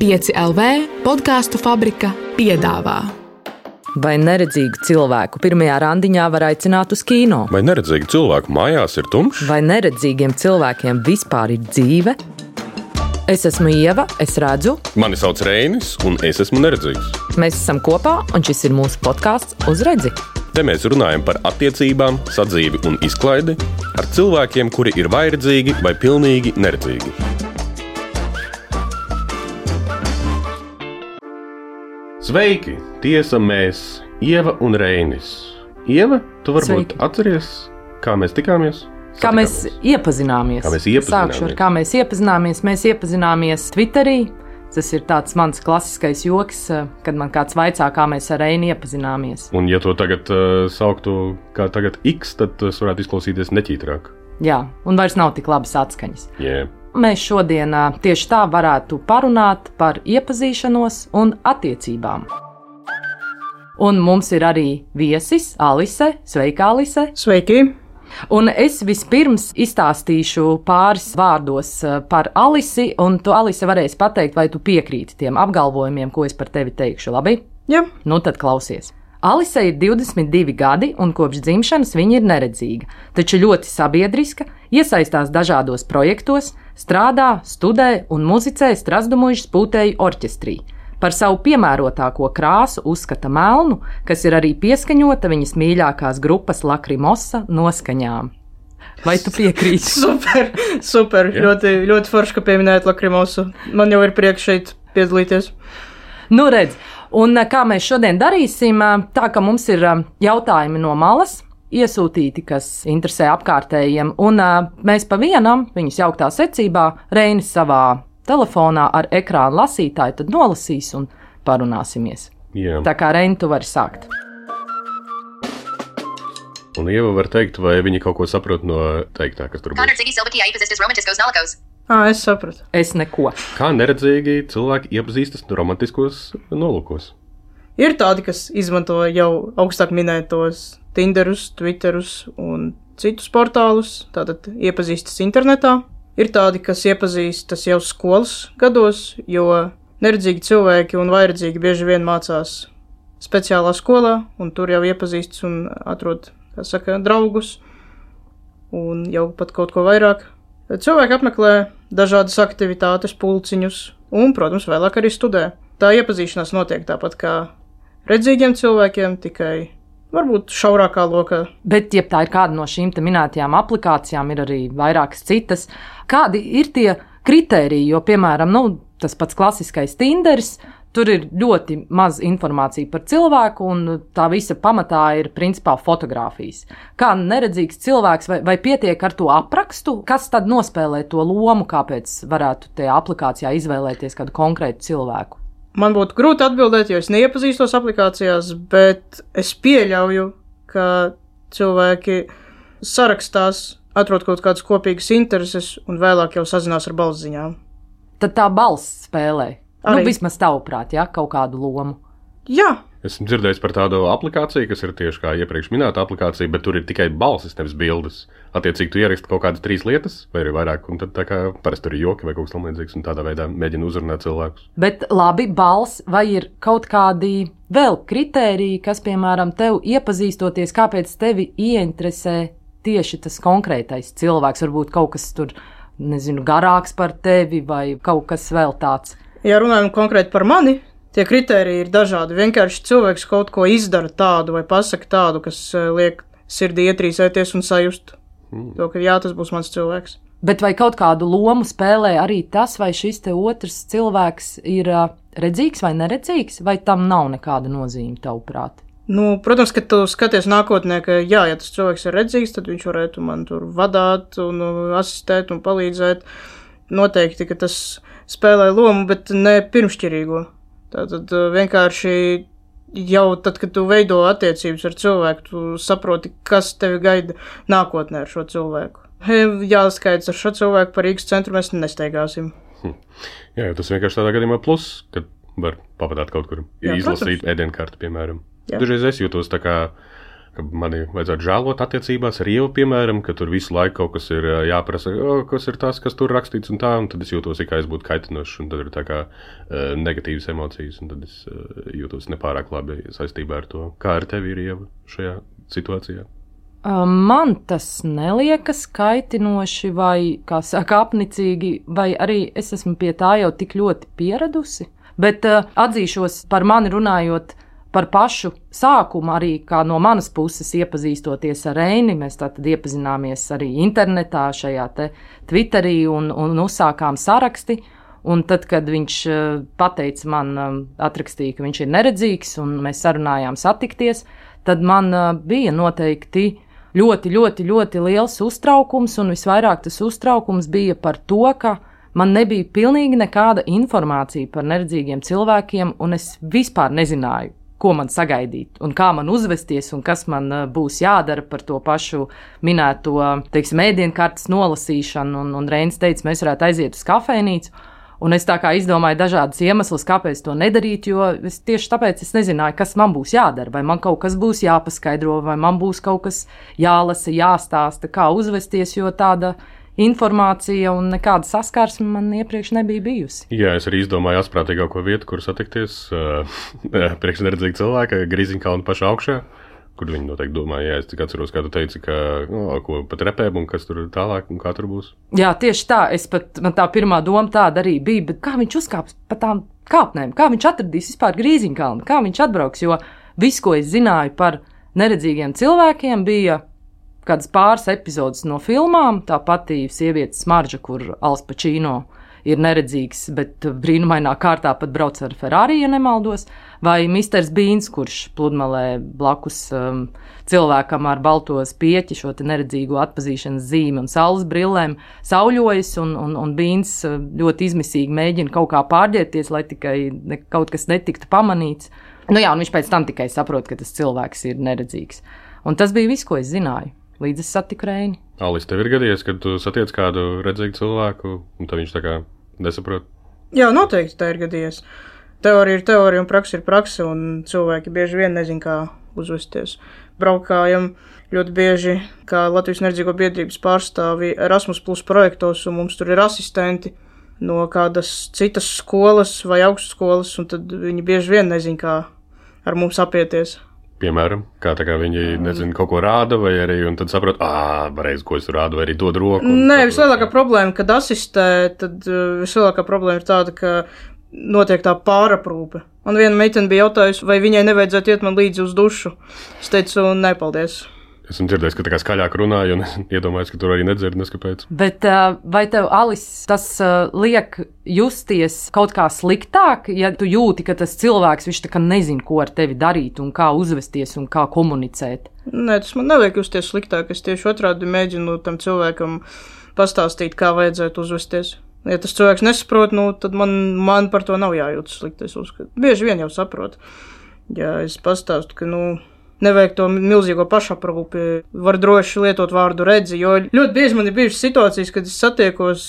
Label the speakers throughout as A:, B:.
A: 5LV podkāstu fabrika piedāvā.
B: Vai neredzīgu cilvēku pirmajā randiņā var aicināt uz kino?
C: Vai neredzīgu cilvēku mājās ir tumšs?
B: Vai neredzīgiem cilvēkiem vispār ir dzīve? Es esmu Ieva, es redzu.
C: Mani sauc Reinis, un es esmu neredzīgs.
B: Mēs esam kopā, un šis ir mūsu podkāsts Uz redzi.
C: Te mēs runājam par attiecībām, sadzīvi un izklaidi ar cilvēkiem, kuri ir vai redzīgi, vai pilnīgi neredzīgi. Sveiki! Tiesa mēs, Ieva un Reinis. Ieva, tu varbūt atceries, kā mēs tikāmies?
B: Kā mēs iepazināmies. Sākšu ar kā mēs iepazināmies. Mēs iepazināmies Twitterī. Tas ir tāds mans klasiskais joks, kad man kāds vaicā, kā mēs ar Reini iepazināmies.
C: Un ja to tagad sauktu kā tagad X, tad tas varētu izklausīties neķītrāk.
B: Jā, un vairs nav tik labas atskaņas.
C: Yeah.
B: Mēs šodien tieši tā varētu parunāt par iepazīšanos un attiecībām. Un mums ir arī viesis Alise. Sveika, Alise!
D: Sveiki!
B: Un es vispirms izstāstīšu pāris vārdos par Alisi, un tu, Alise, varēsi pateikt, vai tu piekrīti tiem apgalvojumiem, ko es par tevi teikšu, labi?
D: Jā.
B: Nu tad klausies. Alise ir 22 gadi, un kopš dzimšanas viņa ir neredzīga, taču ļoti sabiedriska, iesaistās dažādos projektos, strādā, studē un muzicē Strazdumuižas pūtēju orķestrī. Par savu piemērotāko krāsu uzskata melnu, kas ir arī pieskaņota viņas mīļākās grupas Lakrimosa noskaņām. Vai tu piekrīti?
D: Super. Ļoti, ļoti forši, ka pieminējat Lakrimosu. Man jau ir prieks šeit piedalīties.
B: Nu redz, un kā mēs šodien darīsim, tā ka mums ir jautājumi no malas, iesūtīti, kas interesē apkārtējiem, un mēs pa vienam, viņus jauktā secībā, Reinis savā telefonā ar ekrānu lasītāju, tad nolasīs un parunāsimies.
C: Jā.
B: Tā kā Reini, tu vari sākt.
C: Un Ieva var teikt, vai viņi kaut ko saprot no teiktā, kas tur būs.
D: Es sapratu.
B: Es neko.
C: Kā neredzīgi cilvēki iepazīstas romantiskos nolūkos?
D: Ir tādi, kas izmanto jau augstāk minētos Tinderus, Twitterus un citus portālus, tātad iepazīstas internetā. Ir tādi, kas iepazīstas jau skolas gados, jo neredzīgi cilvēki un vairedzīgi bieži vien mācās speciālā skolā, un tur jau iepazīstas un atrod, kā saka, draugus, un jau pat kaut ko vairāk. Cilvēki apmeklē dažādas aktivitātes, pulciņus un, protams, vēlāk arī studē. Tā iepazīšanās notiek tāpat kā redzīgiem cilvēkiem, tikai varbūt šaurākā lokā.
B: Bet, ja tā ir kāda no šīm te minētajām aplikācijām, ir arī vairākas citas. Kādi ir tie kritēriji? Jo, piemēram, tas pats klasiskais Tinderis, tur ir ļoti maz informācija par cilvēku, un tā visa pamatā ir principā fotogrāfijas. Kā neredzīgs cilvēks, vai pietiek ar to aprakstu? Kas tad nospēlē to lomu, kāpēc varētu tajā aplikācijā izvēlēties kādu konkrētu cilvēku?
D: Man būtu grūti atbildēt, jo es neiepazīstos aplikācijās, bet es pieļauju, ka cilvēki sarakstās, atrod kaut kādas kopīgas intereses un vēlāk jau sazinās ar balsziņām.
B: Tad tā balss spēlē.
D: Arī.
B: Vismaz tavuprāt, ja, kaut kādu lomu.
D: Jā.
C: Esmu dzirdējis par tādu aplikāciju, kas ir tieši kā iepriekš minēta aplikācija, bet tur ir tikai balsis, nevis bildes. Attiecīgi, tu ieraksti kaut kādas 3 lietas, vai arī vairāk, un tad tā kā parasti tur ir joki vai kaut kas tamlīdzīgs, un tādā veidā mēģina uzrunāt cilvēkus.
B: Bet labi, balss, vai ir kaut kādi vēl kritēriji, kas, piemēram, tev iepazīstoties, kāpēc tevi ieinteresē tieši tas konkrētais cilvēks? Varbūt kaut kas tur, garāks par tevi vai kaut kas vēl tāds.
D: Ja runājam konkrēti par mani, tie kritēriji ir dažādi. Vienkārši cilvēks kaut ko izdara tādu vai pasaka tādu, kas liek sirdī ietrīsēties un sajust to, ka jā, tas būs mans cilvēks.
B: Bet vai kaut kādu lomu spēlē arī tas, vai šis te otrs cilvēks ir redzīgs vai neredzīgs, vai tam nav nekāda nozīme tavuprāt?
D: Protams, ka tu skaties nākotnē, ka jā, ja tas cilvēks ir redzīgs, tad viņš varētu man tur vadāt un asistēt un palīdzēt. Noteikti, ka tas spēlē lomu, bet ne pirmšķirīgo. Tātad vienkārši jau tad, kad tu veido attiecības ar cilvēku, tu saproti, kas tevi gaida nākotnē ar šo cilvēku. Jāskaidrs ar šo cilvēku par Rīgas centru mēs nesteigāsim.
C: Jā, tas vienkārši tādā gadījumā plus, kad var pavadāt kaut kur, izlasīt ēdienkarti, piemēram. Dažreiz es jūtos tā kā ka mani vajadzētu žēlot attiecībās ar Ievu, piemēram, ka tur visu laiku kaut kas ir jāprasa, kas ir tas, kas tur rakstīts un tad es jūtos, kā es būtu kaitinošs, un tad ir tā kā negatīvas emocijas, un tad es jūtos nepārāk labi saistībā ar to. Kā ar tevi ir, Ieva, šajā situācijā?
B: Man tas neliekas kaitinoši vai, kā saka, apnicīgi, vai arī es esmu pie tā jau tik ļoti pieradusi. Bet atzīšos par mani runājot par pašu sākumu, arī kā no manas puses iepazīstoties ar Reini. Mēs tātad iepazināmies arī internetā, šajā te Twitterī un uzsākām saraksti. Un tad, kad viņš pateica man, atrakstīja, ka viņš ir neredzīgs un mēs sarunājām satikties, tad man bija noteikti ļoti liels uztraukums, un visvairāk tas uztraukums bija par to, ka man nebija pilnīgi nekāda informācija par neredzīgiem cilvēkiem, un es vispār nezināju, ko man sagaidīt, un kā man uzvesties, un kas man būs jādara par to pašu minēto, teiksim, ēdienkartes nolasīšanu, un Reinis teica, mēs varētu aiziet uz kafejnīcu, un es tā kā izdomāju dažādas iemeslus, kāpēc to nedarīt, jo tieši tāpēc es nezināju, kas man būs jādara, vai man kaut kas būs jāpaskaidro, vai man būs kaut kas jālasa, jāstāsta, kā uzvesties, jo tāda informācija un nekāda saskarsme man iepriekš nebija bijusi.
C: Jā, es arī izdomāju asprātīgāko vietu, kur satikties priekš neredzīga cilvēka, Grīziņkalna paša augšā, kur viņi noteikti domāja, jā, es tik atceros, kā tu teici, ka, ko pat repēm un kas tur tālāk un kā tur būs.
B: Jā, tieši tā, man tā pirmā doma tāda arī bija, bet kā viņš uzkāps pa tām kāpnēm, kā viņš atradīs vispār Grīziņkalnu, kā viņš atbrauks, jo viss, ko es zināju par neredzīgiem cilvēkiem, bija kādas pāris epizodes no filmām, tā pati sievietes Smarža, kur Al Pacino ir neredzīgs, bet brīnumainā kārtā pat brauc ar Ferrari, ja nemaldos, vai Misters Beans, kurš pludmalē blakus cilvēkam ar balto spieķi, šo te neredzīgo atpazīšanas zīmi un saules brillēm sauļojas, un Beans ļoti izmisīgi mēģina kaut kā pārģērties, lai tikai kaut kas netiktu pamanīts. Nu jā, un viņš pēc tam tikai saprot, ka tas cilvēks ir neredzīgs. Un tas bija viss, ko es zināju, līdz es satiku Reini.
C: Alis, tev ir gadījies, kad tu satiec kādu redzīgu cilvēku, un tad viņš tā kā nesaprot?
D: Jā, noteikti tā ir gadījies. Teorija ir teorija un praksa ir praksa, un cilvēki bieži vien nezin, kā uzvesties. Braukājam ļoti bieži, kā Latvijas neredzīgo biedrības pārstāvi Erasmus Plus projektos, un mums tur ir asistenti no kādas citas skolas vai augstskolas, un tad viņi bieži vien nezin, kā ar mums apieties.
C: Piemēram, kā tā kā viņi nezina, kaut ko rāda, vai arī, un tad saprot, pareizi, ko es rādu, vai arī dod roku.
D: Nē, vislielākā problēma, kad asistē, tad vislielākā problēma ir tāda, ka notiek tā pāraprūpe. Man viena meitene bija jautājusi, vai viņai nevajadzētu iet man līdzi uz dušu. Es teicu, nē, paldies.
C: Esmu dzirdējis, ka tā kā skaļāk runāju, un iedomājos, ka tur arī nedzird, neskapēc.
B: Bet vai tev, Alis, tas liek justies kaut kā sliktāk, ja tu jūti, ka tas cilvēks, viņš tā kā nezin, ko ar tevi darīt, un kā uzvesties, un kā komunicēt?
D: Nē, tas man neliek justies sliktāk. Es tieši otrādi mēģinu tam cilvēkam pastāstīt, kā vajadzētu uzvesties. Ja tas cilvēks nesaprot, tad man par to nav jājūtas slikti, es uzskatu. Bieži vien jau saprot. Ja es pastāstu, ka, nevajag to milzīgo pašaprūpi, var droši lietot vārdu redzi, jo ļoti bieži man ir bijušas situācijas, kad es satiekos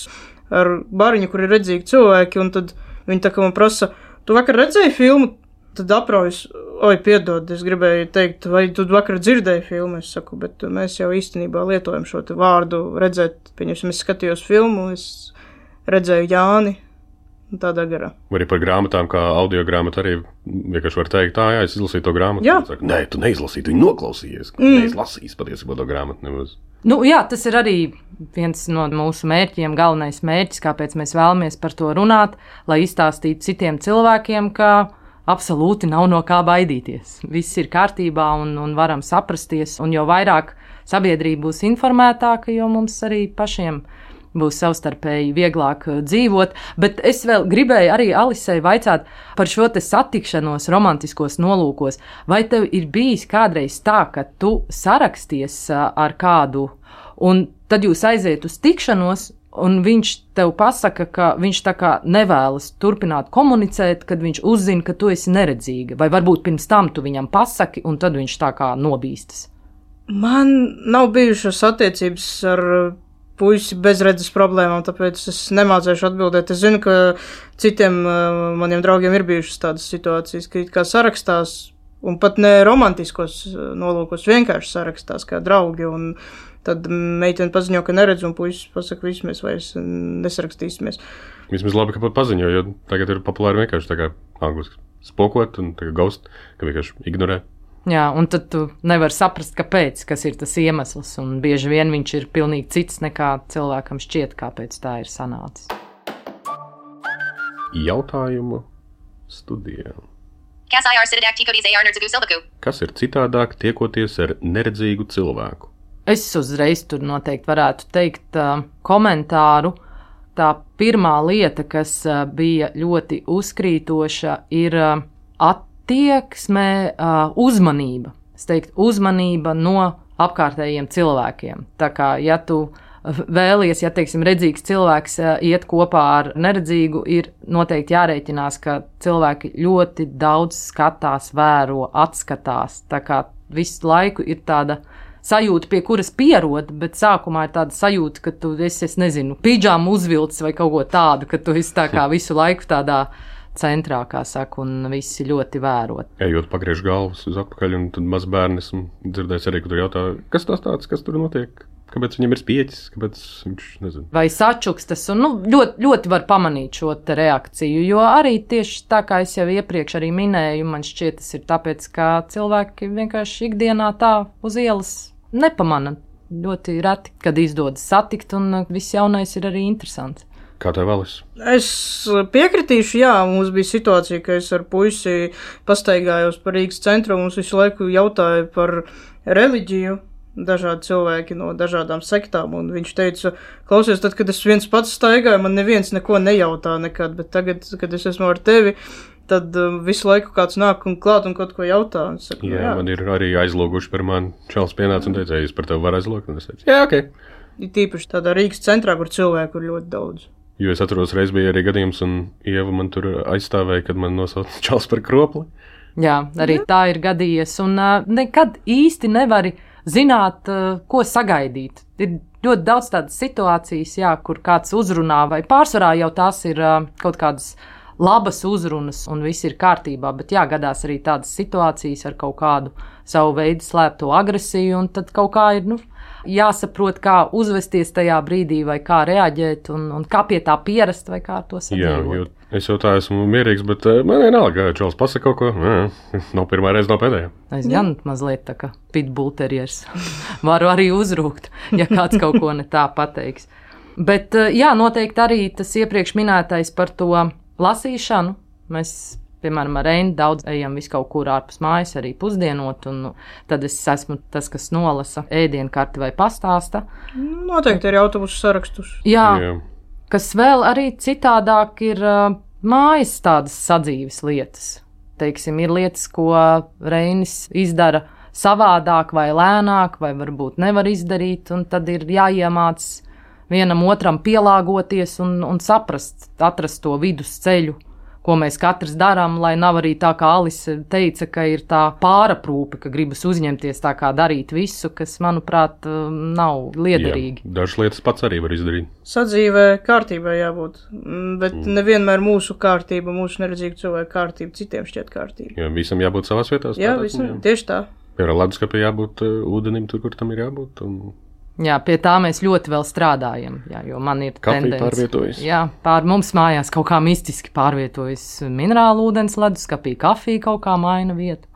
D: ar bariņu, kur ir redzīgi cilvēki, un tad viņi tā kā man prasa, tu vakar redzēji filmu? Tad apraujas, piedod, es gribēju teikt, vai tu vakar dzirdēji filmu? Es saku, bet mēs jau īstenībā lietojam šo te vārdu redzēt, pieņemsim, es skatījos filmu, es redzēju Jāni. Tādā garā.
C: Vai arī par grāmatām, kā audio grāmata arī vienkārši var teikt, jā, es izlasīju to grāmatu.
D: Jā.
C: Saka, nē, tu neizlasīji, tu noklausījies. Neizlasīji patiesībā to grāmatu nemaz.
B: Jā, tas ir arī viens no mūsu mērķiem, galvenais mērķis, kāpēc mēs vēlamies par to runāt, lai izstāstītu citiem cilvēkiem, ka absolūti nav no kā baidīties. Viss ir kārtībā un varam saprasties, un jo vairāk sabiedrība būs informētāka, jo mums arī pašiem būs savstarpēji vieglāk dzīvot, bet es vēl gribēju arī Alisei vaicāt par šo te satikšanos romantiskos nolūkos. Vai tev ir bijis kādreiz tā, ka tu saraksties ar kādu, un tad jūs aiziet uz tikšanos, un viņš tev pasaka, ka viņš tā kā nevēlas turpināt komunicēt, kad viņš uzzina, ka tu esi neredzīga, vai varbūt pirms tam tu viņam pasaki, un tad viņš tā kā nobīstas?
D: Man nav bijušas attiecības ar puisi bezredzes problēmām, tāpēc es nemācēšu atbildēt. Es zinu, ka citiem maniem draugiem ir bijušas tādas situācijas, ka it kā sarakstās Un pat ne romantiskos nolūkos, vienkārši sarakstās kā draugi, un tad meitene paziņo, ka neredz, un puisis pasaka, visu mēs vairs nesarakstīsimies.
C: Vismaz labi, ka pat paziņo, jo tagad ir populāri vienkārši tā kā angliski spokot un tā kā ghost, ka vienkārši ignorē.
B: Jā, un tad tu nevari saprast, kāpēc, kas ir tas iemesls, un bieži vien viņš ir pilnīgi cits nekā cilvēkam šķiet, kāpēc tā ir sanācis.
C: Jautājumu studijā.
E: Kas
C: ir citādāk tiekoties ar neredzīgu cilvēku?
B: Es uzreiz tur noteikti varētu teikt komentāru. Tā pirmā lieta, kas bija ļoti uzkrītoša, ir attieksme, uzmanība. Es teiktu, uzmanība no apkārtējiem cilvēkiem. Tā kā, ja tu vēlies, ja, teiksim, redzīgs cilvēks iet kopā ar neredzīgu, ir noteikti jārēķinās, ka cilvēki ļoti daudz skatās, vēro, atskatās. Tā kā visu laiku ir tāda sajūta, pie kuras pierod, bet sākumā ir tāda sajūta, ka tu esi, es nezinu, pidžāmu uzvilcis vai kaut ko tādu, ka tu esi tā kā visu laiku tādā centrā, kā saka, un visi ļoti vērot.
C: Ejot pagriež galvas uz atpakaļ, un tad maz bērni esmu dzirdējis arī, ka tur jautā, kas tas tāds, kas tur notiek? Kāpēc viņam ir spieķis, kāpēc viņš nezinu?
B: Vai sačukstas, un ļoti, ļoti var pamanīt šo te reakciju, jo arī tieši tā, kā es jau iepriekš arī minēju, man šķiet, tas ir tāpēc, ka cilvēki vienkārši ikdienā tā uz ielas nepamana. Ļoti reti, kad izdodas satikt, un viss jaunais ir arī interesants.
C: Kā tev vēlas?
D: Es piekritīšu, jā, mums bija situācija, ka es ar puisi pastaigājos par Rīgas centru, un mums visu laiku jautāja par reliģiju. Dažādi cilvēki no dažādām sektām, un viņš teica, klausies, tad, kad es viens pats staigāju, man neviens neko nejautā nekad, bet tagad, kad es esmu ar tevi, tad visu laiku kāds nāk un klāt un kaut ko jautā. Saku,
C: jā, man ir arī aizloguši par mani. Čels pienāca un teica, es par tevi varu aizlogt, un es teicu, jā, ok.
D: Ir tīpaši tādā Rīgas centrā, kur cilvēku ir ļoti daudz.
C: Jo es atceros, reiz bija arī gadījums, un Ieva man tur aizstāvēja, kad man nosauca Čels par kropli.
B: Jā, arī tā ir gadījies, un nekad īsti nevari zināt, ko sagaidīt. Ir ļoti daudz tādas situācijas, jā, kur kāds uzrunā, vai pārsvarā jau tās ir kaut kādas labas uzrunas, un viss ir kārtībā, bet jā, gadās arī tādas situācijas ar kaut kādu savu veidu slēpto agresiju, un tad kaut kā ir, jāsaprot, kā uzvesties tajā brīdī, vai kā reaģēt, un kā pie tā pierast, vai kā ar to sadzīvot.
C: Jā, jo es jau tā esmu mierīgs, bet man vienalga, ka Čels pasaka kaut ko, nav pirmā reize, nav pēdējā.
B: Es gan mazliet tā kā pitbullteriers varu arī uzrūkt, ja kāds kaut ko ne tā pateiks. Bet jā, noteikti arī tas iepriekš minētais par to lasīšanu. Mēs, piemēram, ar Reini daudz ejam visu kaut kur ārpus mājas, arī pusdienot, un tad es esmu tas, kas nolasa ēdienkarti vai pastāsta.
D: Noteikti arī autobusu sarakstus.
B: Jā. Kas vēl arī citādāk ir mājas tādas sadzīves lietas. Teiksim, ir lietas, ko Reinis izdara savādāk vai lēnāk, vai varbūt nevar izdarīt, un tad ir jāiemāc vienam otram pielāgoties un saprast, atrast to vidusceļu, ko mēs katrs darām, lai nav arī tā, kā Alise teica, ka ir tā pāraprūpe, ka gribas uzņemties tā kā darīt visu, kas, manuprāt, nav liederīgi.
C: Jā, dažas lietas pats arī var izdarīt.
D: Sadzīvē kārtībai jābūt, bet nevienmēr mūsu kārtība, mūsu neredzīgu cilvēku kārtība citiem šķiet kārtība.
C: Jā, visam jābūt savās vietās.
D: Jā, visam, tieši tā.
C: Piemēram, leduskapī jābūt ūdenim tur, kur tam ir jābūt.
B: Jā, pie tā mēs ļoti vēl strādājam, jā, jo man ir
C: kafija pārvietojas.
B: Jā, mums mājās kaut kā mistiski pārvietojas minerālu ūdens leduskapī, kafija kaut kā maina vietu.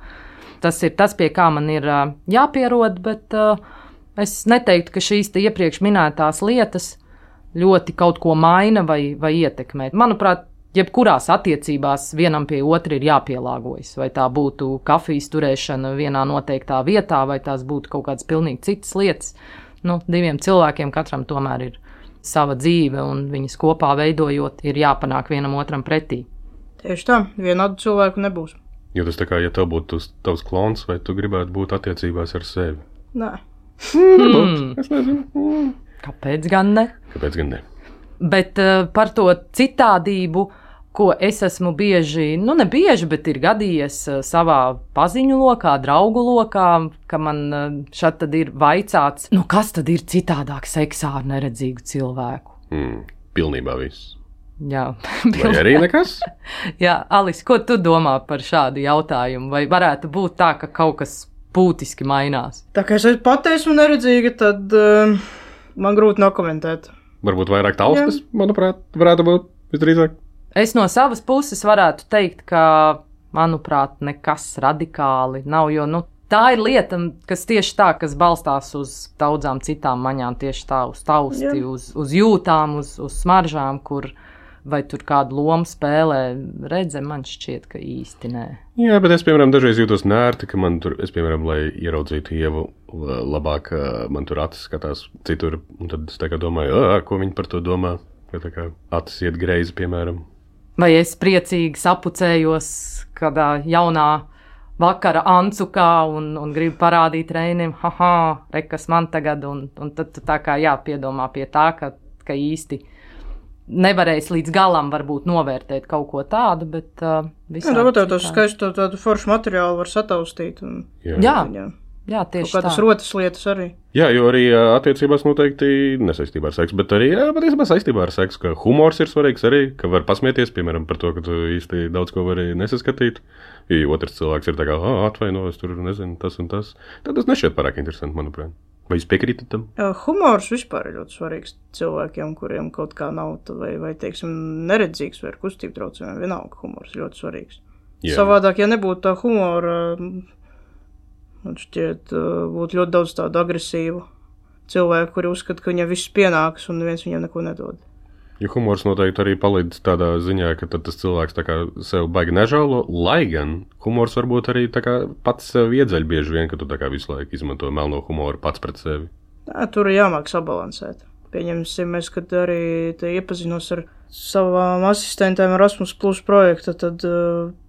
B: Tas ir tas, pie kā man ir jāpierod, bet es neteiktu, ka šīs te iepriekš minētās lietas ļoti kaut ko maina vai ietekmē. Manuprāt, jebkurās attiecībās vienam pie otra ir jāpielāgojas, vai tā būtu kafijas turēšana vienā noteiktā vietā, vai tās būtu kaut kādas pilnīgi citas lietas. Diviem cilvēkiem katram tomēr ir sava dzīve, un viņas kopā veidojot, ir jāpanāk vienam otram pretī.
D: Tieši tā, vienādu cilvēku nebūs.
C: Jo tas tā kā, ja tev būtu tavs klons, vai tu gribētu būt attiecībās ar sevi?
D: Nē.
C: Es nezinu.
B: Kāpēc gan ne?
C: Kāpēc gan ne?
B: Bet par to citādību, ko es esmu bieži, ne bieži, bet ir gadījies savā paziņu lokā, draugu lokā, ka man šad tad ir vaicāts, kas tad ir citādāk seksā ar neredzīgu cilvēku?
C: Pilnībā viss.
B: Jā,
C: Vai arī nekas?
B: Jā, Alis, ko tu domā par šādu jautājumu? Vai varētu būt tā, ka kaut kas būtiski mainās?
D: Tā kā es pati esmu neredzīga, tad man grūti nokomentēt.
C: Varbūt vairāk taustas, manuprāt, varētu būt visdrīzāk.
B: Es no savas puses varētu teikt, ka, manuprāt, nekas radikāli nav, jo, tā ir lieta, kas tieši tā, kas balstās uz daudzām citām maņām, tieši tā, uz tausti, uz jūtām, uz smaržām, kur vai tur kādu lomu spēlē redze, man šķiet, ka īsti nē.
C: Jā, bet es, piemēram, dažreiz jūtos nērti, ka man tur, es, piemēram, lai ieraudzītu Ievu labāk, man tur acis skatās citur, un tad es tā kā domāju, ko viņi par to domā, ka tā kā acis iet greizi, piemēram.
B: Vai es priecīgi sapucējos kādā jaunā vakara ancukā un gribu parādīt Reinim, rekas man tagad, un tad tu tā kā jāpiedomā pie tā, ka īsti nevarēs līdz galam varbūt novērtēt kaut ko tādu, bet visādi.
D: Jā, tādu skaistu tādu foršu materiālu var sataustīt.
B: Jā, tieši tā.
D: Kādas rotas lietas arī.
C: Jā, jo arī attiecībās noteikti nesaistībā ar seksu, bet arī patiesībā saistībā ar seksu, ka humors ir svarīgs arī, ka var pasmieties, piemēram, par to, ka tu īsti daudz ko vari nesaskatīt. Ja otrs cilvēks ir tā kā, atvaino, es tur nezinu, tas un tas. Tad tas nešķiet pārāk interesanti, manuprāt. Vai jūs piekrītat tam?
D: Humors vispār ir ļoti svarīgs cilvēkiem, kuriem kaut kā nav, vai teiksim, neredzīgs vai ar kustību traucējumiem. Vienalga, humors ir ļoti svarīgs. Jā. Savādāk, ja nebūtu tā humora, man šķiet, būtu ļoti daudz tādu agresīvu cilvēku, kuri uzskata, ka viņam viss pienākas un neviens viņam neko nedod.
C: Jo humors noteikti arī palīdz tādā ziņā, ka tad tas cilvēks tā kā sev baigi nežēlo, lai gan humors varbūt arī tā kā pats sev iedzeļ bieži vien, ka tu tā kā visu laiku izmanto melno humoru pats pret sevi.
D: Jā, tur ir jāmāk sabalansēt. Pieņemsim, es, kad arī iepazinos ar savām asistentēm Erasmus Plus projekta, tad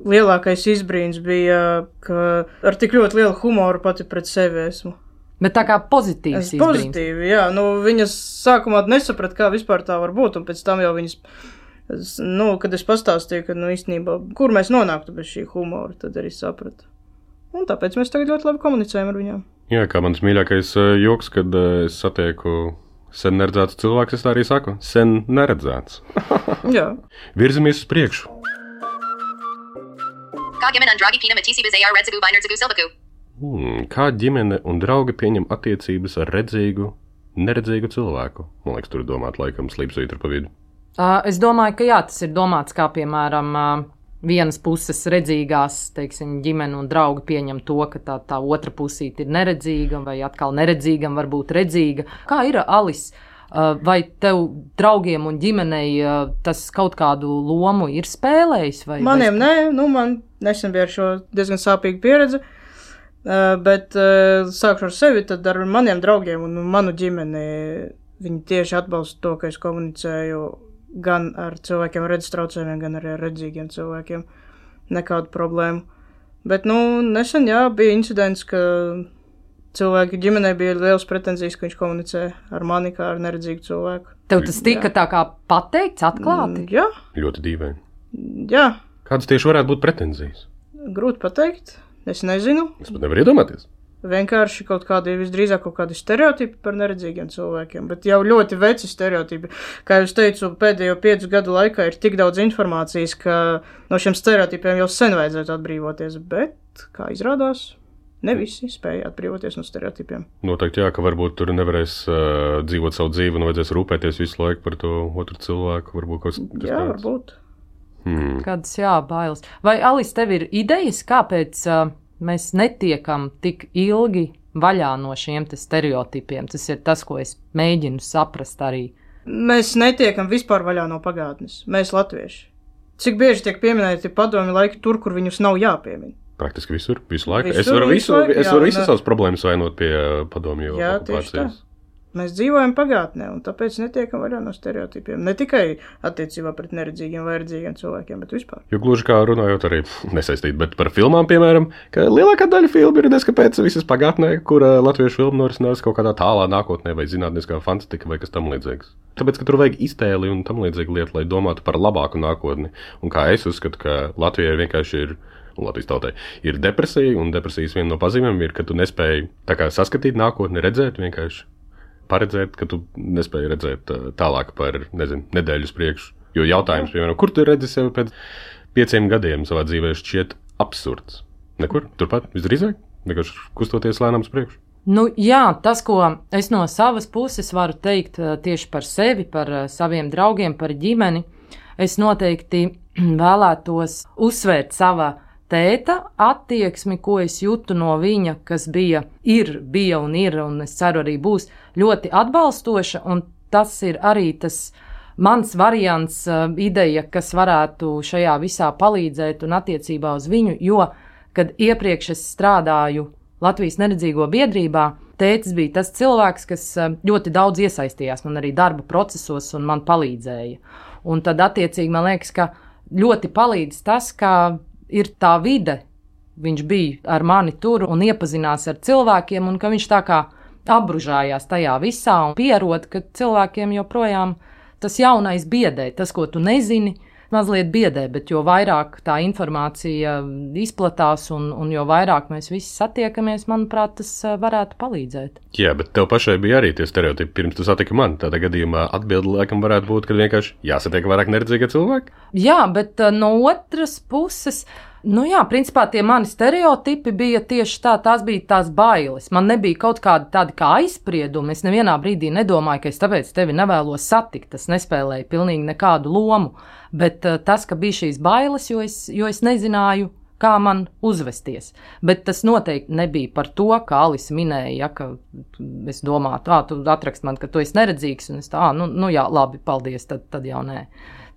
D: lielākais izbrīns bija, ka ar tik ļoti lielu humoru pati pret sevi esmu.
B: Bet tā kā pozitīvs izbrīns.
D: Pozitīvi, jā. Viņas sākumā nesaprat, kā vispār tā var būt, un pēc tam jau viņas, kad es pastāstīju, ka, īstenībā, kur mēs nonāktu bez šī humora, tad arī sapratu. Un tāpēc mēs tagad ļoti labi komunicējam ar viņām.
C: Jā, kā mans mīļākais joks, kad es satieku sen neredzēts cilvēks, es tā arī saku, sen neredzēts.
D: Jā.
C: Virzamies uz priekšu.
E: Kā ģimene un draugi pieņem attiecības ar redzīgu vai neredzīgu cilvēku?
C: Kā ģimene un draugi pieņem attiecības ar redzīgu, neredzīgu cilvēku? Man liekas, tur ir domāt laikam slīpsvītra pa vidu.
B: Es domāju, ka jā, tas ir domāts kā, piemēram, vienas puses redzīgās, teiksim, ģimene un draugi pieņem to, ka tā otra pusīte ir neredzīga, vai atkal neredzīgam var būt redzīga. Kā ir, Alis? Vai tev draugiem un ģimenei tas kaut kādu lomu ir spēlējis?
D: Maniem nē, man nesen bija ar šo diezgan sāpīgu pieredzi. Bet sākšu ar sevi, tad ar maniem draugiem un manu ģimeni viņi tieši atbalsta to, ka es komunicēju gan ar cilvēkiem ar redzes traucējumiem, gan arī ar redzīgiem cilvēkiem. Nekādu problēmu. Bet, nesen, bija incidents, ka cilvēki ģimenei bija liels pretenzijas, ka viņš komunicē ar mani kā ar neredzīgu cilvēku.
B: Tev tas tika tā kā pateikts atklāti?
D: Jā.
C: Ļoti dīvaini.
D: Jā.
C: Kādas tieši varētu būt pretenzijas?
D: Grūti pateikt. Es nezinu.
C: Es pat nevaru iedomāties.
D: Vienkārši kaut kādi, visdrīzāk kaut kādi stereotipi par neredzīgiem cilvēkiem, bet jau ļoti veci stereotipi. Kā jau teicu, pēdējo 5 gadu laikā ir tik daudz informācijas, ka no šiem stereotipiem jau sen vajadzētu atbrīvoties, bet, kā izrādās, ne visi spēja atbrīvoties no stereotipiem.
C: Noteikti jā, ka varbūt tur nevarēs dzīvot savu dzīvi un vajadzēs rūpēties visu laiku par to otru cilvēku. Varbūt kaut kas
D: jā, varbūt.
B: Kādas bailes. Vai, Alis, tev ir idejas, kāpēc mēs netiekam tik ilgi vaļā no šiem te stereotipiem? Tas ir tas, ko es mēģinu saprast arī.
D: Mēs netiekam vispār vaļā no pagātnes. Mēs latvieši. Cik bieži tiek pieminēti padomju laiki tur, kur viņus nav jāpiemina?
C: Praktiski visur, visu laiku. Es varu visas savas problēmas vainot pie padomju okupācijas.
D: Mēs dzīvojam pagātnē, un tāpēc netiekam vaļā no stereotipiem. Ne tikai attiecībā pret neredzīgiem vai redzīgiem cilvēkiem, bet vispār.
C: Jo gluži kā runājot arī nesaistīt, bet par filmām, piemēram, ka lielākā daļa filmu ir neskapēc visas pagātnē, kur latviešu filmu norisinās kaut kādā tālā nākotnē vai zinātniskā fantastika vai kas tam līdzīgs. Tāpēc, ka tur vajag iztēli un tam līdzīgi lietu, lai domātu par labāku nākotni. Un kā es uzskatu, ka Latvijai vienkārši ir, un Latvijas tautai, ir depresija, un depresijas viena no pazīmēm ir, ka tu nespēji tā kā saskatīt nākotni, redzēt vienkārši. Paredzēt, ka tu nespēji redzēt tālāk par, nedēļu uz priekšu. Jo jautājums, piemēram, kur tu redzi sevi pēc 5 gadiem savā dzīvē, šķiet absurds? Nekur, turpat, visdrīzāk, vienkārši kustoties lēnām uz priekšu.
B: Nu, jā, tas, ko es no savas puses varu teikt tieši par sevi, par saviem draugiem, par ģimeni, es noteikti vēlētos uzsvērt sava tēta attieksmi, ko es jūtu no viņa, kas bija un ir, un es ceru arī būs ļoti atbalstoša, un tas ir arī tas mans variants, ideja, kas varētu šajā visā palīdzēt un attiecībā uz viņu, jo, kad iepriekš es strādāju Latvijas neredzīgo biedrībā, tētis bija tas cilvēks, kas ļoti daudz iesaistījās man arī darba procesos un man palīdzēja. Un tad attiecīgi man liekas, ka ļoti palīdz tas, ka ir tā vide, viņš bija ar mani tur un iepazinās ar cilvēkiem, un ka viņš tā kā apbružājās tajā visā un pierod, ka cilvēkiem joprojām tas jaunais biedē, tas, ko tu nezini, mazliet biedē, bet jo vairāk tā informācija izplatās un jo vairāk mēs visi satiekamies, manuprāt, tas varētu palīdzēt.
C: Jā, bet tev pašai bija arī tie stereotipi, pirms tu satiki mani. Tādā gadījumā atbilde laikam varētu būt, ka vienkārši jāsatiek vairāk neredzīgie cilvēki?
B: Jā, bet no otras puses, principā tie mani stereotipi bija tieši tās bija tās bailes. Man nebija kaut kādi tādi kā aizspriedumi. Es nevienā brīdī nedomāju, ka es tāpēc tevi nevēlos satikt. Tas nespēlēja pilnīgi nekādu lomu. Bet tas, ka bija šīs bailes, jo es nezināju, kā man uzvesties. Bet tas noteikti nebija par to, kā Alise minēja, ka es domātu, tu atrakst man, ka tu esi neredzīgs, un es jā, labi, paldies, tad jau nē.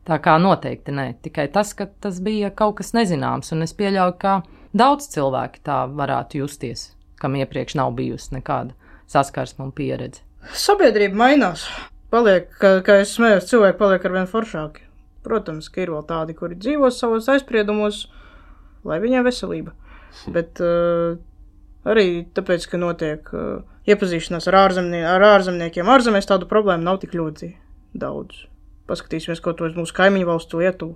B: Tā kā noteikti nē, tikai tas, ka tas bija kaut kas nezināms, un es pieļauju, ka daudz cilvēki tā varētu justies, kam iepriekš nav bijusi nekāda saskarsme un pieredze.
D: Sabiedrība mainās. Paliek, kā es smējos, cilvēki paliek arvien foršāki. Protams, ka ir vēl tādi, kuri dzīvo savos aizspriedumos, lai viņiem veselība. Bet arī tāpēc, ka notiek iepazīšanās ar ārzemniekiem. Ārzemēs tādu problēmu nav tik ļoti daudz. Paskatīsimies, ko tos mūsu kaimiņu valstu Lietuvu.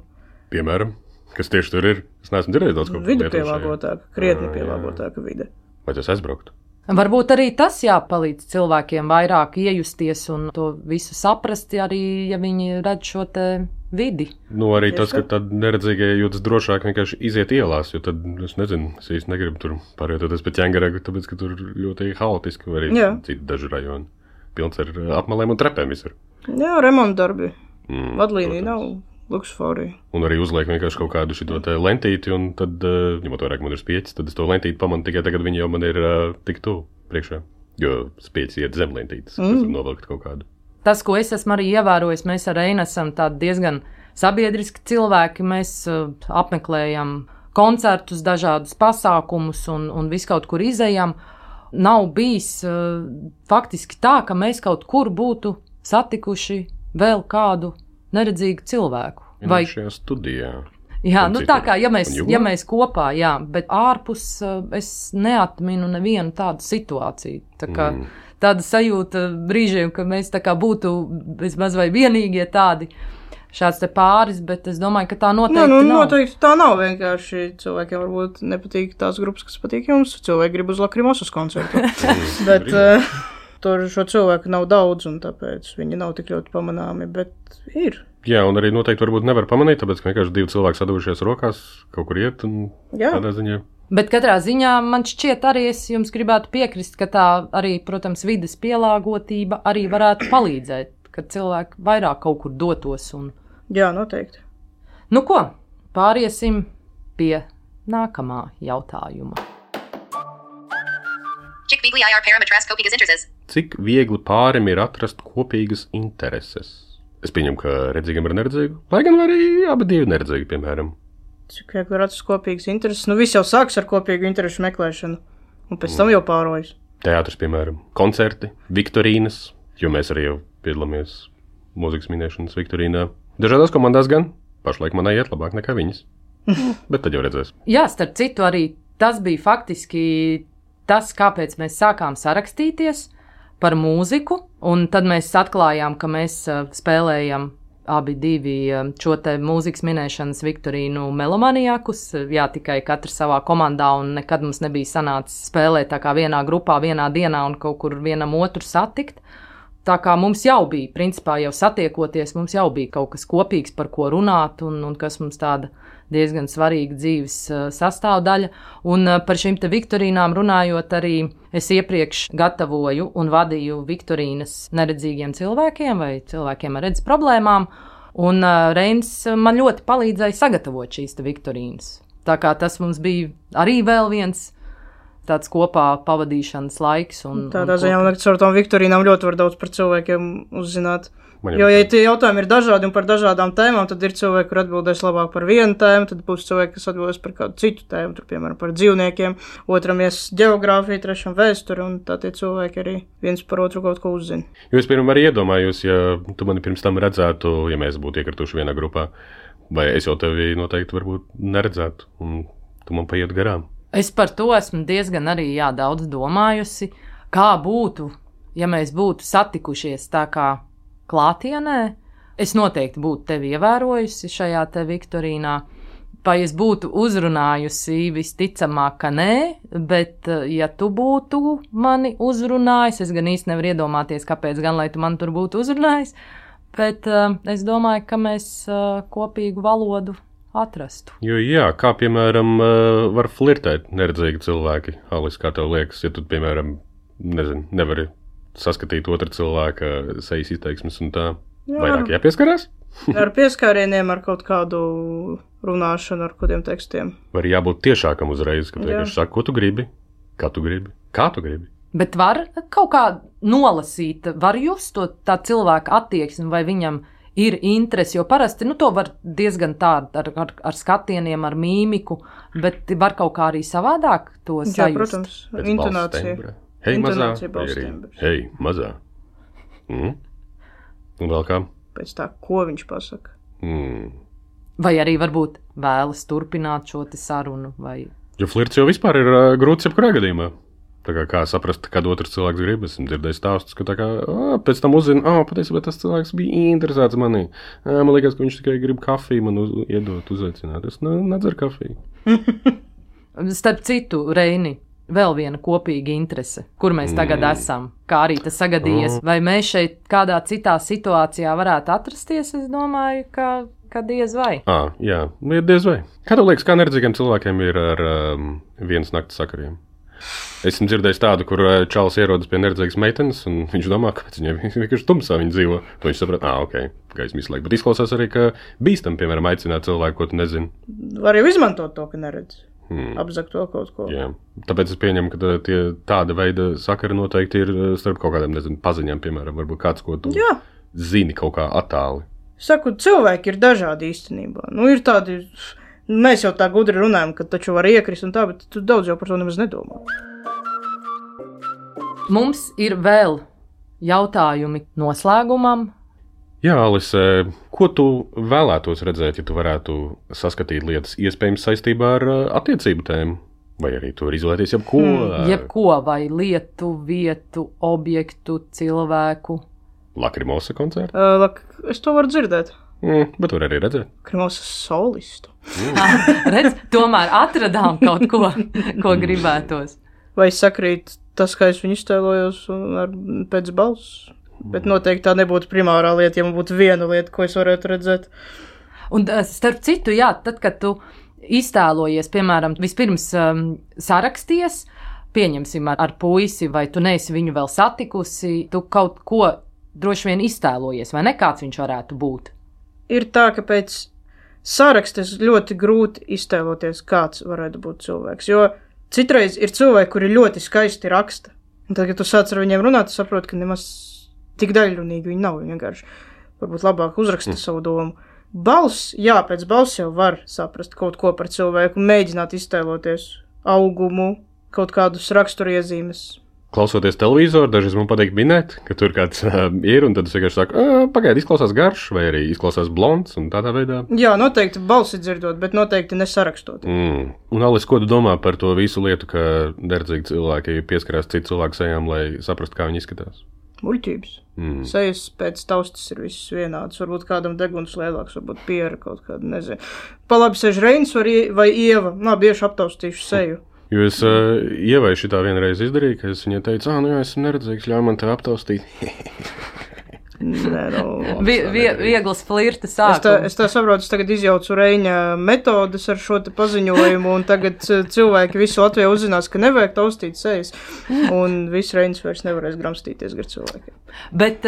C: Piemēram, kas tieši tur ir? Es neesmu dzirdējis daudz ko.
D: Vide pielāgotāka, krietni pielāgotāka vide.
C: Vai tas aizbrauktu?
B: Varbūt arī tas jāpalīdz cilvēkiem vairāk iejusties un to visu saprast, arī, ja viņi redz šo te vidi.
C: Arī tas, ka tad neredzīgie jūtas drošāk vienkārši iziet ielās, jo tad, es nezinu, es īsti negribu tur pārvietoties pa ķēngaragu, tāpēc, ka tur ļoti haotiski, vai arī citi daži rajoni. Pilns ar apmalēm un trepēm visur.
D: Jā, remontdarbi. Vadlīnija nav luksusforija.
C: Un arī uzliek vienkārši kaut kādu šito te lentīti, un tad, ņemot vairāk man ir spieķis, tad es to lentīti pamanu tikai tagad viņi jau man ir tik tuvu priekšā. Jo spieķis iet zem lentītes, tas var novilkt kaut kādu.
B: Tas, ko es esmu arī ievērojis, mēs ar Einu esam tādi diezgan sabiedriski cilvēki, mēs apmeklējam koncertus, dažādus pasākumus un visu kaut kur izejam. Nav bijis faktiski tā, ka mēs kaut kur būtu satikuši vēl kādu neredzīgu cilvēku.
C: Vai šajā studijā?
B: Jā, tā kā, ja mēs kopā, jā, bet ārpus es neatminu nevienu tādu situāciju. Tā kā tāda sajūta brīžiem, ka mēs tā kā būtu vismaz vai vienīgie tādi šāds te pāris, bet es domāju, ka tā noteikti nav.
D: Noteikti tā nav vienkārši. Cilvēkiem varbūt nepatīk tās grupas, kas patīk jums. Cilvēki grib uz Lakrimosas koncertu. Bet tur šo cilvēku nav daudz, un tāpēc viņi nav tik ļoti pamanāmi, bet ir.
C: Jā, un arī noteikti varbūt nevar pamanīt, tāpēc, ka vienkārši 2 cilvēki sadavušies rokās, kaut kur iet, un tādā ziņā.
B: Bet katrā ziņā man šķiet arī, es jums gribētu piekrist, ka tā arī, protams, vides pielāgotība arī varētu palīdzēt, ka cilvēki vairāk kaut kur dotos.
D: Jā, noteikti.
B: Ko, pāriesim pie nākamā jautājuma.
C: Cik viegli pārim ir atrast kopīgas intereses? Es pieņemu, ka redzīgam ir neredzīgu, lai gan arī abi divi neredzīgi, piemēram.
D: Cik viegli ir atrast kopīgas intereses? Viss jau sāks ar kopīgu interesu meklēšanu, un pēc tam jau pārojas.
C: Teātris, piemēram, koncerti, viktorīnas, jo mēs arī jau piedalāmies mūzikas minēšanas viktorīnā. Dažādās komandās gan, pašlaik manai iet labāk nekā viņas, bet tad jau redzēs.
B: Jā, starp citu arī tas bija faktiski tas, kāpēc mēs sākām sarakstīties par mūziku, un tad mēs atklājām, ka mēs spēlējam abi divi šo te mūzikas minēšanas viktorīnu Melomaniakus, jā, tikai katrs savā komandā, un nekad mums nebija sanācis spēlēt tā kā vienā grupā, vienā dienā un kaut kur vienam otru satikt. tā kā mums jau bija, principā jau satiekoties, mums jau bija kaut kas kopīgs, par ko runāt, un kas mums tāda diezgan svarīga dzīves sastāvdaļa. Un par šīm te viktorīnām runājot arī, es iepriekš gatavoju un vadīju viktorīnas neredzīgiem cilvēkiem vai cilvēkiem ar redzes problēmām, un Reinis man ļoti palīdzēja sagatavot šīs te viktorīnas. Tā kā tas mums bija arī vēl viens tāds kopā pavadīšanas laiks.
D: Tādā ziņā, man liekas, ar tām viktorīnām ļoti var daudz par cilvēkiem uzzināt. Jo, ja tie jautājumi ir dažādi un par dažādām tēmām, tad ir cilvēki, kur atbildēs labāk par vienu tēmu, tad būs cilvēki, kas atbildēs par kādu citu tēmu, tur, piemēram, par dzīvniekiem, otram ģeogrāfiju, trešam vēsturi, un tā tie cilvēki arī viens par otru kaut ko uzzina.
C: Jo es pirmam arī iedomājos, ja tu mani pirms tam redzētu, ja mēs būtu iekrituši vienā grupā, vai es jau tevi noteikti varbūt neredzētu, un tu man paiet garām.
B: Es par to esmu diezgan arī daudz domājusi, kā būtu, ja mēs būtu satikušies tā kā klātienē. Es noteikti būtu tevi ievērojusi šajā te viktorīnā, vai es būtu uzrunājusi, visticamāk, ka nē, bet ja tu būtu mani uzrunājis, es gan īsti nevaru iedomāties, kāpēc gan, lai tu man tur būtu uzrunājis, bet es domāju, ka mēs kopīgu valodu atrastu.
C: Jo jā, kā piemēram var flirtēt neredzīgi cilvēki, Alis, kā tev liekas, ja tu, piemēram, nevari saskatīt otra cilvēka sejas izteiksmes un tā, vairāk jāpieskarās?
D: Ar pieskārieniem, ar kaut kādu runāšanu, ar kādiem tekstiem.
C: Var jābūt tiešākam uzreiz, ka tu vienkārši saki, ko tu gribi, kā tu gribi.
B: Bet var kaut kā nolasīt, var just to tā cilvēka attieksmi, vai viņam ir interesi, jo parasti, to var diezgan tā ar skatieniem, ar mīmiku, bet var kaut kā arī savādāk to sajust.
D: Jā, protams, intonācija.
C: Hei, mazā, vai arī hei, mazā. Un vēl kā?
D: Pēc tā, ko viņš pasaka.
B: Vai arī varbūt vēlas turpināt šo te sarunu, vai...
C: Jo flirts jau vispār ir grūts jebkurā gadījumā. Tā kā saprast, kad otrs cilvēks grib, esmu dzirdējis stāstus, ka tā kā pēc tam uzzina, patiesībā tas cilvēks bija interesēts manī. Man liekas, ka viņš tikai grib kafiju man iedot, uzaicināt. Es nedzeru kafiju.
B: Starp citu, Reini, vēl viena kopīga interese, kur mēs tagad esam, kā arī tas sagadījies. Vai mēs šeit kādā citā situācijā varētu atrasties? Es domāju, ka diez vai.
C: Jā, diez vai. Kā tev liekas, kā neredzīgiem cilvēkiem ir ar vienas naktas sakariem? Esmu dzirdējis tādu, kur čalis ierodas pie neredzīgas meitenes, un viņš domā, kāpēc viņai vienkārši tumsā viņa dzīvo. To viņš saprot, gaisma visu laiku. Bet izklausās arī, ka bīstam, piemēram, aicināt cilvēku, ko tu nezini.
D: Var jau izmantot to, ka neredz. Apzakt vēl kaut ko.
C: Jā. Tāpēc es pieņemu, ka tāda veida sakari noteikti ir starp kaut kādiem, paziņām, piemēram, varbūt kāds, ko tu zini kaut kā attāli.
D: Saku, cilvēki ir dažādi īstenībā. Ir tādi, mēs jau tā gudri runājam, ka taču var iekrist un tā, bet tu daudz jau par to nemaz nedomā.
B: Mums ir vēl jautājumi noslēgumam.
C: Jā, Alis, ko tu vēlētos redzēt, ja tu varētu saskatīt lietas iespējams saistībā ar attiecību tēmu? Vai arī tu var izvēlēties jebko?
B: Jebko, vai lietu, vietu, objektu, cilvēku?
C: Lakrimosa koncertu?
D: Es to varu dzirdēt.
C: Bet var arī redzēt.
D: Lakrimosa solistu.
B: Redz, tomēr atradām kaut ko gribētos.
D: Vai sakrīt tas, kā es viņu iztēlojos pēc balss? Bet noteikti tā nebūtu primārā lieta, ja man būtu viena lieta, ko es varētu redzēt.
B: Un starp citu, tad, kad tu iztēlojies, piemēram, vispirms saraksties, pieņemsim ar puisi, vai tu neesi viņu vēl satikusi, tu kaut ko droši vien iztēlojies, vai ne, kāds viņš varētu būt?
D: Ir tā, ka pēc sarakstes ļoti grūti iztēloties, kāds varētu būt cilvēks, jo citreiz ir cilvēki, kuri ļoti skaisti raksta. Un tad, kad tu sāc ar viņiem runāt, tu saproti, ka nemaz tik daļrunīgi viņi nav, vienkārši varbūt labāk uzraksta savu domu. Balss, pēc balss jau var saprast kaut ko par cilvēku, mēģināt iztēloties augumu, kaut kādus raksturiezīmes.
C: Klausoties televizoru, dažreiz man patīk minēt, ka tur kāds ir, un tad es vienkārši saku, pagaidi, izklausās garš, vai arī izklausās blonds, un tādā veidā. Jā,
D: noteikti balsi dzirdot, bet noteikti nesarakstot.
C: Un Alis, ko tu domā par to visu lietu, ka neredzīgi cilvēki pieskarās citu cilvēku sejām, lai saprastu, kā viņi izskatās?
D: Muļķības. Sejas pēc taustas ir visas vienādas. Varbūt kādam deguns lielāks, varbūt piera kaut kāda, nezinu. Pa labi sēž Reinis vai Ieva. Bieži aptaustīšu seju.
C: Jo es Ievai šitā vienreiz izdarīju, ka es viņai teicu, nu jā, esmu neredzīgs, ļauj man te aptaustīt.
D: Nē,
B: Viegls flirta sākums.
D: Es tā saprotu, es tagad izjaucu Reiņa metodas ar šo te paziņojumu, un tagad cilvēki visu Latviju uzzinās, ka nevajag taustīt sejas, un viss Reiņas vairs nevarēs gramstīties gar cilvēkiem.
B: Bet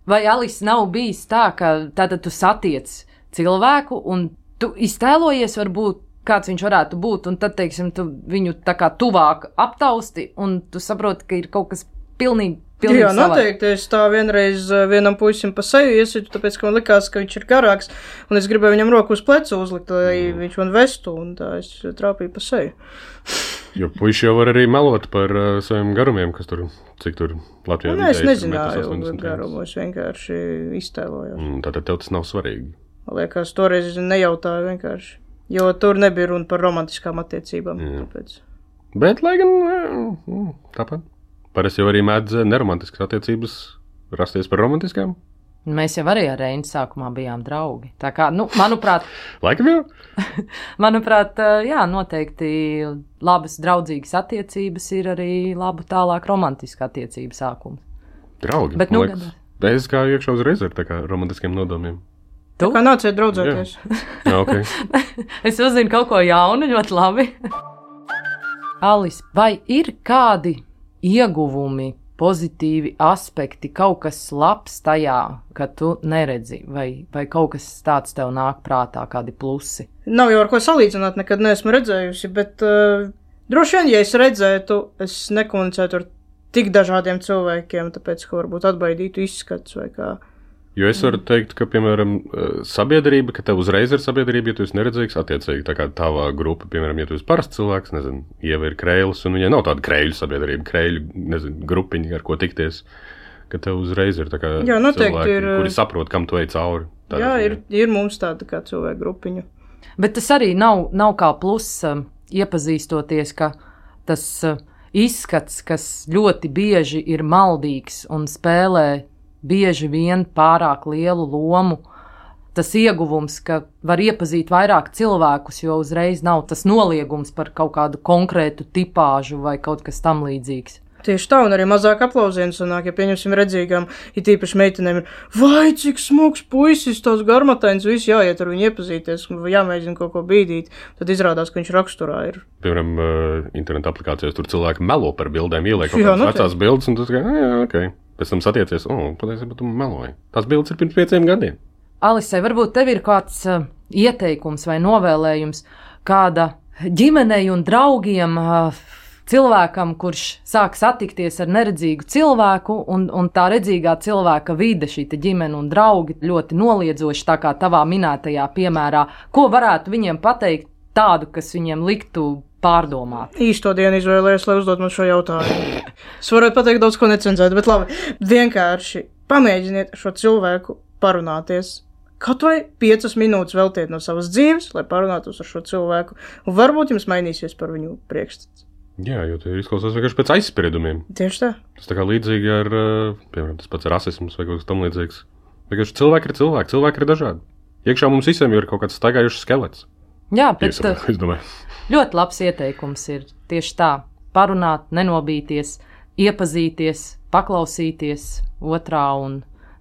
B: vai Alis nav bijis tā, ka tātad tu satiec cilvēku, un tu iztēlojies varbūt, kāds viņš varētu būt, un tad, teiksim, tu viņu tā kā tuvāk aptausti, un tu saproti, ka ir kaut kas pilnīgi
D: Jā, noteikti. Es tā vienreiz vienam puisim pa seju iesitu, tāpēc, ka man likās, ka viņš ir garāks, un es gribēju viņam roku uz plecu uzlikt, lai viņš man vestu, un tā es trāpīju pa seju.
C: Jo puiši jau var arī melot par saviem garumiem, kas tur, cik tur Latvijā
D: vidēji. Es nezināju garumu, es vienkārši iztēlojos.
C: Tātad tev tas nav svarīgi?
D: Liekas, toreiz nejautāju vienkārši, jo tur nebija runa par romantiskām attiecībām. Tāpēc.
C: Bet, lai gan, tāpat. Parasti jau arī mēdz neromantiskas attiecības rasties par romantiskām.
B: Mēs jau arī ar Reinu sākumā bijām draugi. Tā kā, manuprāt...
C: Laikam jau?
B: Manuprāt, jā, noteikti labas draudzīgas attiecības ir arī laba tālāk romantiska attiecība sākuma.
C: Draugi?
B: Bet,
C: es kā iekšā uzreiz ar tā kā romantiskiem nodomiem.
D: Tu? Tā kā nāciet draudzēties.
C: Jā, ok.
B: Es uzzinu kaut ko jaunu, ļoti labi. Alis, vai ir kādi ieguvumi, pozitīvi aspekti, kaut kas labs tajā, ka tu neredzi, vai kaut kas tāds tev nāk prātā, kādi plusi?
D: Nav jau ar ko salīdzināt, nekad neesmu redzējusi, bet droši vien, ja es redzētu, es nekomunicētu ar tik dažādiem cilvēkiem, tāpēc, ka varbūt atbaidītu izskats vai kā.
C: Jo es varu teikt, ka, piemēram, sabiedrība, ka tev uzreiz ir sabiedrība, ja tu esi neredzīgs, attiecīgi tā kā tavā grupa, piemēram, ja tu esi parasts cilvēks, nezinu, Ieva ir Kreilis, un viņai nav tāda Kreiļu sabiedrība, Kreiļu, nezinu, grupiņa, ar ko tikties, ka tev uzreiz ir tā kā cilvēki, kuri saprot, kam tu ej cauri.
D: Jā, ir mums tāda kā cilvēku grupiņa.
B: Bet tas arī nav kā plus iepazīstoties, ka tas izskats, kas ļoti bieži ir maldīgs un spēlē bieži vien pārāk lielu lomu, tas ieguvums, ka var iepazīt vairāk cilvēkus, jo uzreiz nav tas noliegums par kaut kādu konkrētu tipāžu vai kaut kas tam līdzīgs.
D: Tieši tā, un arī mazāk aplausienu sanāk, ja pieņemsim redzīgām, it īpaši meitenēm ir, vai cik smuks puisis, tās garmatains, visi jāiet ar viņu iepazīties, jāmēģina kaut ko bīdīt, tad izrādās, ka viņš raksturā ir.
C: Piemēram, interneta aplikācijās tur cilvēki melo par bildēm, ieliek kaut kādas vecās bildes, un tas kā, jā, ok. Pēc tam satiecies, patiesībā tu meloji. Tās bildes ir pirms 5 gadiem.
B: Alisai, varbūt tev ir kāds ieteikums vai novēlējums kāda ģimenei un draugiem cilvēkam, kurš sāk satikties ar neredzīgu cilvēku, un tā redzīgā cilvēka vide, šī ģimene un draugi ļoti noliedzoši, tā kā tavā minētajā piemērā, ko varētu viņiem pateikt tādu, kas viņiem liktu pārdomāt?
D: Īsto dienu izvēlējos, lai uzdot man šo jautājumu. Es varētu pateikt daudz ko necenzēt, bet labi, vienkārši pamēģiniet šo cilvēku parunāties. Kaut vai 5 minūtes veltiet no savas dzīves, lai parunātos ar šo cilvēku, un varbūt jums mainīsies par viņu priekšstats.
C: Jā, jo tie izklausās vienkārši pēc aizspriedumiem.
D: Tieši tā.
C: Tas tā kā līdzīgi ar, piemēram, tas pats rasisms vai kaut kas tam līdzīgs. Vienkārši cilvēki ir cilvēki ir dažādi. Iekšā mums visiem ir kaut kāds staigājušs skelets.
B: Jā, bet
C: es domāju.
B: Ļoti labs ieteikums ir tieši tā. Parunāt, nenobīties, iepazīties, paklausīties otrā, un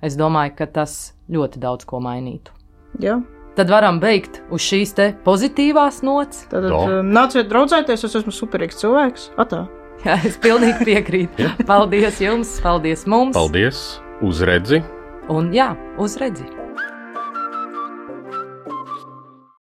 B: es domāju, ka tas ļoti daudz ko mainītu.
D: Jā.
B: Tad varam beigt uz šīs te pozitīvās nots.
D: Tad nāciet draudzēties, es esmu superīgs cilvēks. Atā.
B: Jā, es pilnīgi piekrītu. Paldies jums, paldies mums.
C: Paldies, uz redzi.
B: Un jā, uz redzi.